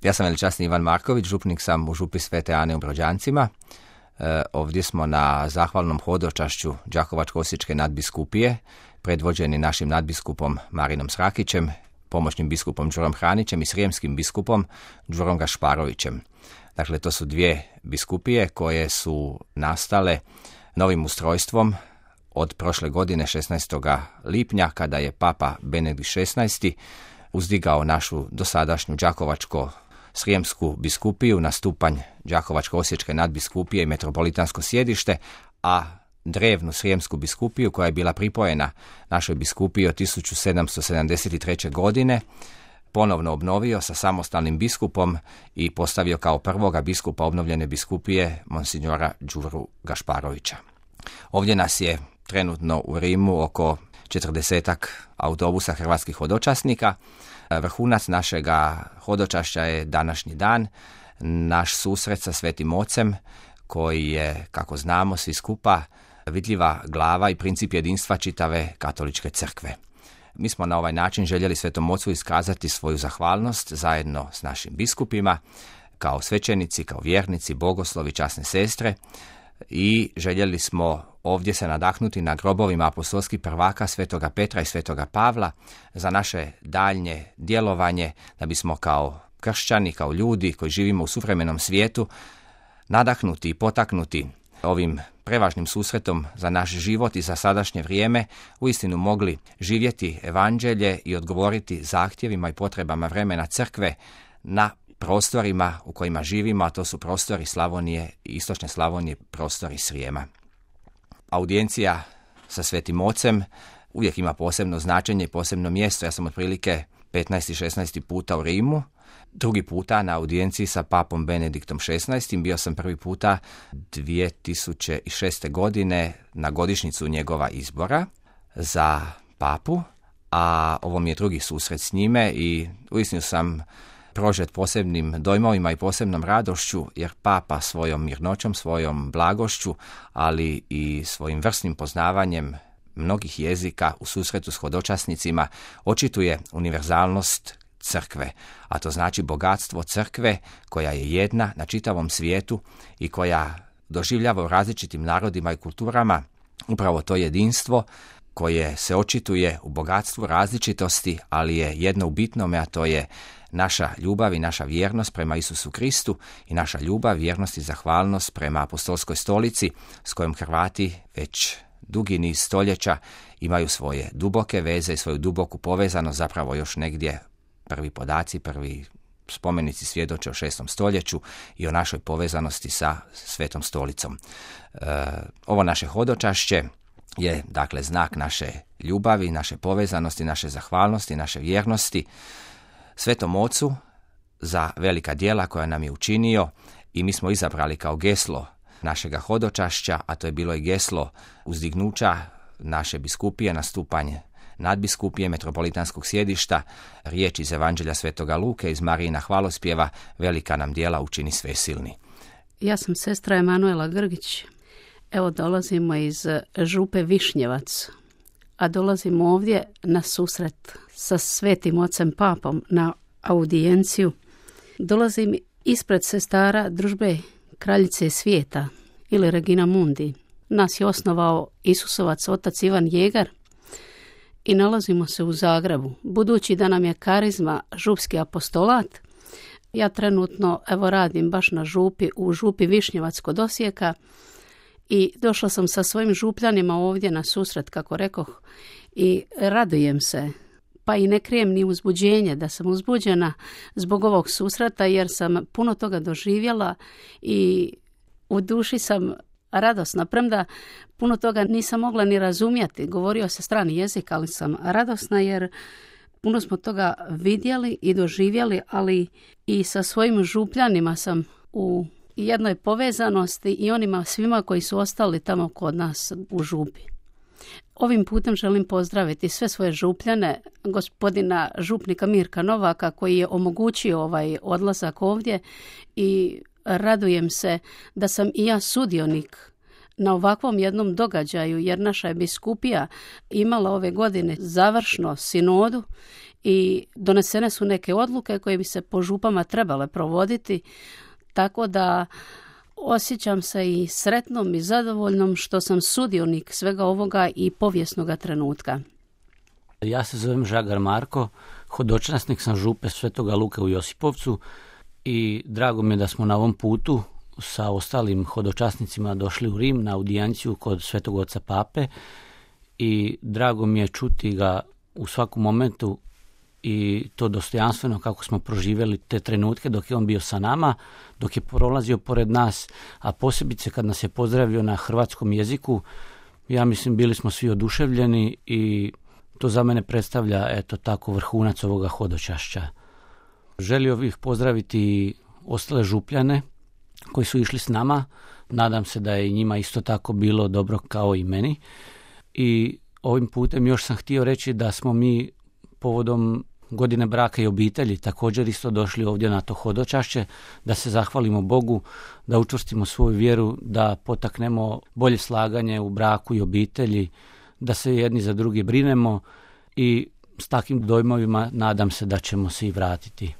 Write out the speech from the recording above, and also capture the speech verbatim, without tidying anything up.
Ja sam veličasni Ivan Marković, župnik sam u župi Svete Ane u Brođancima. E, ovdje smo na zahvalnom hodočašću Đakovačko-osječke nadbiskupije, predvođeni našim nadbiskupom Marinom Srakićem, pomoćnim biskupom Đurom Hranićem i srijemskim biskupom Đurom Gašparovićem. Dakle, to su dvije biskupije koje su nastale novim ustrojstvom od prošle godine šesnaestog lipnja, kada je Papa Benedikt šesnaesti uzdigao našu dosadašnju Đakovačko-srijemsku biskupiju na stupanj Đakovačko-osječke nadbiskupije i metropolitansko sjedište, a drevnu srijemsku biskupiju, koja je bila pripojena našoj biskupiji od tisuću sedamsto sedamdeset treće. godine, ponovno obnovio sa samostalnim biskupom i postavio kao prvoga biskupa obnovljene biskupije monsignora Đuru Gašparovića. Ovdje nas je trenutno u Rimu oko četrdesetak autobusa hrvatskih hodočasnika. Vrhunac našega hodočašća je današnji dan, naš susret sa Svetim Ocem, koji je, kako znamo svi skupa, vidljiva glava i princip jedinstva čitave katoličke crkve. Mi smo na ovaj način željeli Svetom Ocu iskazati svoju zahvalnost zajedno s našim biskupima, kao svećenici, kao vjernici, bogoslovi, časne sestre, i željeli smo ovdje se nadahnuti na grobovima apostolskih prvaka Svetoga Petra i Svetoga Pavla za naše daljnje djelovanje, da bismo kao kršćani, kao ljudi koji živimo u suvremenom svijetu, nadahnuti i potaknuti ovim prevažnim susretom za naš život i za sadašnje vrijeme, uistinu mogli živjeti evanđelje i odgovoriti zahtjevima i potrebama vremena crkve na prostorima u kojima živimo, a to su prostori Slavonije i istočne Slavonije, prostori Srijema. Audijencija sa Svetim Ocem uvijek ima posebno značenje i posebno mjesto. Ja sam otprilike petnaesti šesnaesti puta u Rimu, drugi puta na audijenciji sa papom Benediktom šesnaestim. Bio sam prvi puta dvije tisuće šeste. godine na godišnjicu njegova izbora za papu, a ovo mi je drugi susret s njime i uistinu sam prožet posebnim dojmovima i posebnom radošću, jer papa svojom mirnoćom, svojom blagošću, ali i svojim vrsnim poznavanjem mnogih jezika u susretu s hodočasnicima očituje univerzalnost crkve, a to znači bogatstvo crkve koja je jedna na čitavom svijetu i koja doživljava u različitim narodima i kulturama upravo to jedinstvo koje se očituje u bogatstvu različitosti, ali je jedno u bitnome, a to je naša ljubav i naša vjernost prema Isusu Kristu i naša ljubav, vjernost i zahvalnost prema apostolskoj stolici s kojom Hrvati već dugi niz stoljeća imaju svoje duboke veze i svoju duboku povezanost, zapravo još negdje prvi podaci, prvi spomenici svjedoče o šestom stoljeću i o našoj povezanosti sa Svetom stolicom. E, ovo naše hodočašće je dakle znak naše ljubavi, naše povezanosti, naše zahvalnosti, naše vjernosti Svetom Ocu za velika djela koja nam je učinio, i mi smo izabrali kao geslo našega hodočašća, a to je bilo i geslo uzdignuća naše biskupije na stupanj nadbiskupije metropolitanskog sjedišta, riječ iz Evanđelja Svetoga Luke, iz Marijina hvalospjeva, velika nam djela učini svesilni. Ja sam sestra Emanuela Grgić. Evo dolazimo iz župe Višnjevac, a dolazimo ovdje na susret sa Svetim Ocem Papom na audijenciju. Dolazim ispred sestara družbe Kraljice svijeta ili Regina Mundi. Nas je osnovao Isusovac otac Ivan Jegar i nalazimo se u Zagrebu. Budući da nam je karizma župski apostolat, ja trenutno evo radim baš na župi, u župi Višnjevac kod Osijeka, i došla sam sa svojim župljanima ovdje na susret, kako rekoh, i radujem se, pa i ne krijem ni uzbuđenje da sam uzbuđena zbog ovog susreta, jer sam puno toga doživjela i u duši sam radosna, premda puno toga nisam mogla ni razumjeti. Govorio se strani jezik, ali sam radosna jer puno smo toga vidjeli i doživjeli, ali i sa svojim župljanima sam u jednoj povezanosti i onima svima koji su ostali tamo kod nas u župi. Ovim putem želim pozdraviti sve svoje župljane, gospodina župnika Mirka Novaka, koji je omogućio ovaj odlazak ovdje, i radujem se da sam i ja sudionik na ovakvom jednom događaju, jer naša je biskupija imala ove godine završno sinodu i donesene su neke odluke koje bi se po župama trebale provoditi, tako da osjećam se i sretnom i zadovoljnom što sam sudionik svega ovoga i povijesnoga trenutka. Ja se zovem Žagar Marko, hodočasnik sam župe Svetoga Luke u Josipovcu i drago mi je da smo na ovom putu sa ostalim hodočasnicima došli u Rim na audijenciju kod Svetog oca Pape i drago mi je čuti ga u svakom momentu i to dostojanstveno kako smo proživjeli te trenutke dok je on bio sa nama, dok je prolazio pored nas, a posebice kad nas je pozdravio na hrvatskom jeziku. Ja mislim bili smo svi oduševljeni i to za mene predstavlja eto tako vrhunac ovoga hodočašća. Želio bih pozdraviti ostale župljane koji su išli s nama. Nadam se da je i njima isto tako bilo dobro kao i meni. I ovim putem još sam htio reći da smo mi povodom godine braka i obitelji također isto došli ovdje na to hodočašće, da se zahvalimo Bogu, da učvrstimo svoju vjeru, da potaknemo bolje slaganje u braku i obitelji, da se jedni za drugi brinemo i s takvim dojmovima nadam se da ćemo se i vratiti.